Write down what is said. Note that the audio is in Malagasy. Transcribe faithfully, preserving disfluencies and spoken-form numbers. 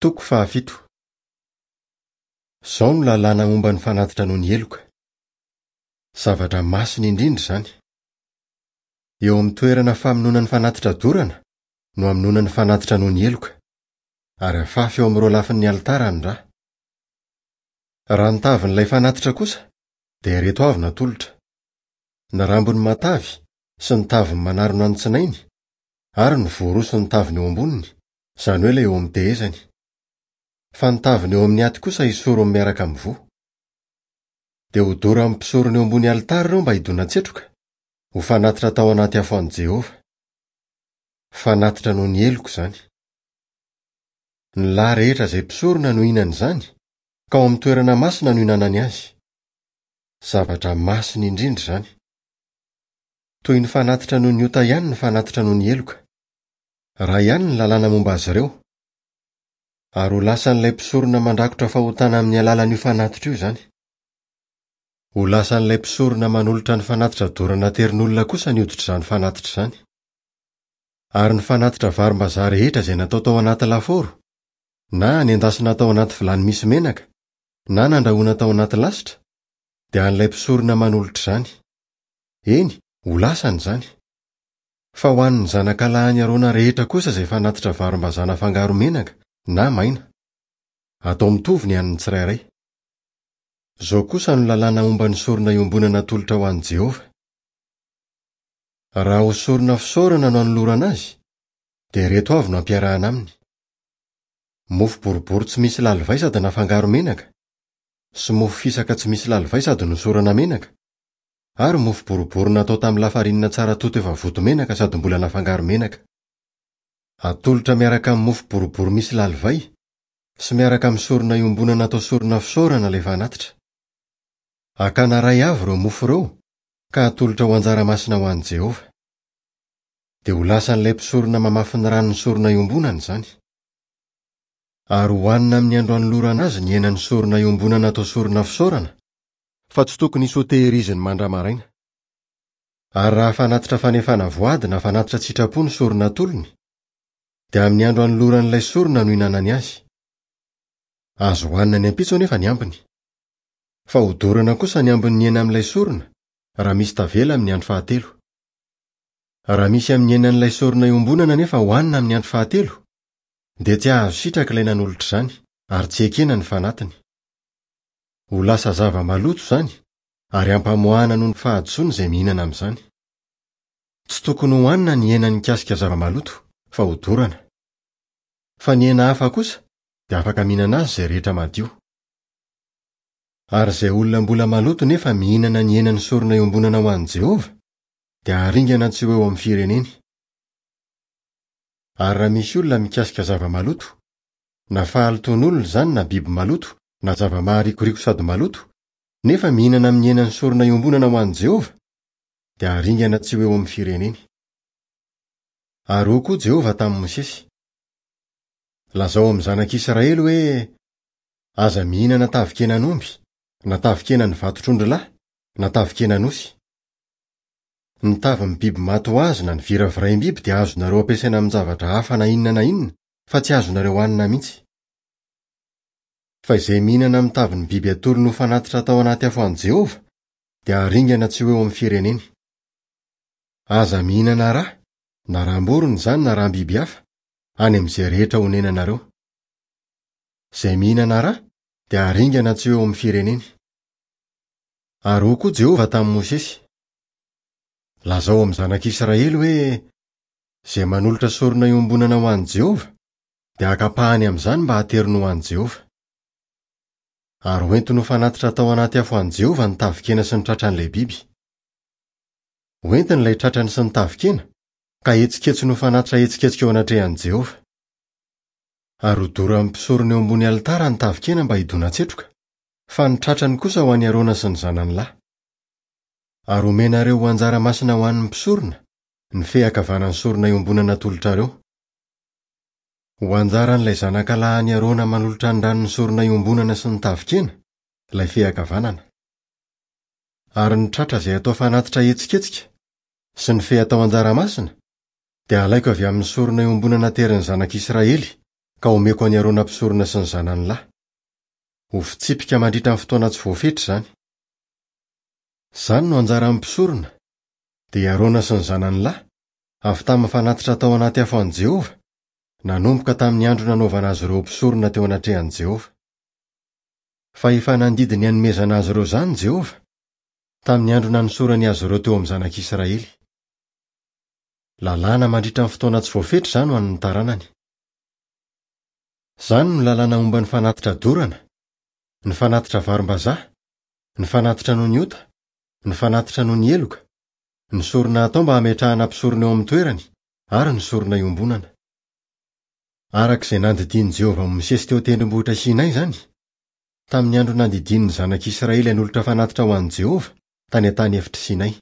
Toko fahafito. Izao no lalàna momba ny fanatitra noho ny heloka. Zavatra masina indrindra izany. Eo amin'ny toerana famonoana ny fanatitra dorana no hamonoana ny fanatitra noho ny heloka, ary afafy eo amin'ireo lafin'ny alitara ny rà. Raha ny tavin'ilay fanatitra kosa dia ireto avy natolotra: ny rambony matavy sy ny taviny manarona ny tsinainy, ary ny voa roa sy ny taviny eo amboniny, izany hoe ilay eo amin'ny tehezany. Fa ny taviny eo amin'ny aty kosa hisorony miaraka amin'ny voa. Dia hodoran'ny mpisorona eo ambony alitara ireo mba hidona-tsetroka, ho fanatitra tao anaty afo an'i Jehovah. Fanatitra noho ny heloka izany. Ny lahy rehetra izay mpisorona no hihinana izany, ka ao amin'ny toerana masina no hihinanany azy. Zavatra masina indrindra izany. Toy ny fanatitra noho ny ota ihany ny fanatitra noho ny heloka. Raha ihany ny lalàna momba azy ireo. Ary ho lasan'ilay mpisorona mandrakotra fahotana amin'ny alalan'io fanatitra io izany. Ho lasan'ilay mpisorona manolotra ny fanatitra dorana aterin'olona kosa ny hoditr'izany fanatitra izany. Ary ny fanatitra varimbazaha rehetra izay natao tao anaty lafaoro, na nendasina tao anaty vilany misy menaka, na nandrahoana tao anaty lasitra, dia an'ilay mpisorona manolotra izany. Eny, ho lasany izany. Fa ho an'ny zanakalahin'i Arona rehetra kosa izay fanatitra varimbazaha nafangaro menaka na maina. Atao mitovy ny an'ny tsirairay. Izao kosa no lalàna momba ny sorona iombonana atolotra ho an'i Jehovah. Raha ho sorona fisaorana no anolorana azy, dia ireto avy no ampiarahana aminy: mofo boribory tsy misy lalivay sady nafangaro menaka, sy mofo fisaka tsy misy lalivay sady nosorana menaka, ary mofo boribory natao tamin'ny lafarinina tsara toto efa voto menaka sady mbola nafangaro menaka. Atolotra miaraka amin'ny mofo boribory misy lalivay sy miaraka amin'ny sorona iombonana atao sorona fisaorana ilay fanatitra. Hakana iray avy ireo mofo ireo ka atolotra ho anjara masina ho an'i Jehovah. Dia ho lasan'ilay mpisorona mamafy ny ran'ny sorona iombonana izany. Ary hohanina amin'ny andro anolorana azy ny henan'ny sorona iombonana atao sorona fisaorana, fa tsy tokony hisy hotehiriziny mandra-maraina. Ary raha fanatitra fanefana voady na fanatitra tsitrapo ny sorona atolony, dia amin'ny andro anoloran'ilay sorona no hihinanany azy. Azo hohanina ny ampitso anefa ny ambiny. Fa hodorana kosa ny ambin'ny hena amin'ilay sorona raha misy tavela amin'ny andro fahatelo. Raha misy amin'ny henan'ilay sorona iombonana nefa hohanina amin'ny andro fahatelo, dia tsy hahazo sitraka ilay nanolotra izany ary tsy ekena ny fanatiny. Ho lasa zava-maloto izany ary hampamoahana noho ny fahadisoana izay mihinana amin'izany. Tsy tokony hohanina ny hena nikasika zava-maloto fa hodorana. Fa ny hena hafa kosa dia afaka mihinana azy izay rehetra madio. Ary izay olona mbola maloto nefa mihinana ny henan'ny sorona iombonana ho an'i Jehovah, dia haringana tsy ho eo amin'ny fireneny. Ary raha misy olona mikasika zava-maloto, na fahalotoan'olona izany na biby maloto, na zava-maharikoriko sady maloto, nefa mihinana amin'ny henan'ny sorona iombonana ho an'i Jehovah, dia haringana tsy ho eo amin'ny fireneny. Ary hoy koa Jehovah tamin'i Mosesy: Lazao amin'ny zanak'Israely hoe, aza mihinana tavin-kenan'omby, na tavin-kenan'ny vatotr'ondrilahy, na tavin-kenan'osy. Ny tavin'ny biby maty ho azy na ny viraviraim-biby dia azonareo ampiasaina amin-javatra hafa na inona na inona, fa tsy azonareo hanina mihitsy. Fa izay mihinana amin'ny tavin'ny biby atolony ho fanatitra tao anaty afo an'i Jehovah, dia haringana tsy ho eo amin'ny fireneny. Aza mihinana rà, na ràm-borona izany na ràm-biby hafa, any amin'izay rehetra honenanareo. Izay mihinana rà dia haringana tsy ho eo amin'ny fireneny. Ary hoy koa Jehovah tamin'i Mosesy: Lazao amin'ny zanak'Israely hoe, izay manolotra sorona iombonana ho an'i Jehovah, dia haka ampahany amin'izany mba hateriny ho an'i Jehovah. Ary hoentiny ho fanatitra tao anaty afo an'i Jehovah ny tavin-kena sy ny tratran'ilay biby. Hoentiny ilay tratrany sy ny tavin-kena, ka hetsiketsiny ho fanatitra hetsiketsika eo anatrehan'i Jehovah. Ary hodoran'ny mpisorona eo ambony alitara ny tavin-kena mba hidona-tsetroka, fa ny tratrany kosa ho an'i Arona sy ny zanany lahy. Ary homenareo ho anjara masina ho an'ny mpisorona ny fe ankavanan'ny sorona iombonana atolotrareo. Ho anjaran'ilay zanakalahin'i Arona manolotra ny ran'ny sorona iombonana sy ny tavin-kena ilay fe ankavanana. Ary ny tratra izay atao fanatitra hetsiketsika sy ny fe atao anjara masina dia alaiko avy amin'ny sorona iombonana aterin'ny zanak'Israely ka homeko an'i Arona mpisorona sy ny zanany lahy. Ho fitsipika mandritra ny fotoana tsy voafetra izany. Izany no anjaran'ny mpisorona, dia i Arona sy ny zanany lahy, avy tamin'ny fanatitra atao anaty afo an'i Jehovah, nanomboka tamin'ny andro nanaovana azy ireo mpisorona teo anatrehan'i Jehovah. Fa efa nandidy ny hanomezana azy ireo izany Jehovah, tamin'ny andro nanosorany azy ireo teo amin'ny zanak'Israely. Lalàna mandritra ny fotoana tsy voafetra izany ho an'ny taranany. Izany no lalàna momba ny fanatitra dorana, ny fanatitra varim-bazaha, ny fanatitra noho ny ota, ny fanatitra noho ny heloka, ny sorona atao mba hametrahana mpisorona eo amin'ny toerany ary ny sorona iombonana. Araka izay nandidian'i Jehovah an'i Mosesy teo an-tendrombohitra Sinay izany, tamin'ny andro nandidian'ny zanak'Israely hanolotra fanatitra ho an'i Jehovah tany an-tany efitr'i Sinay.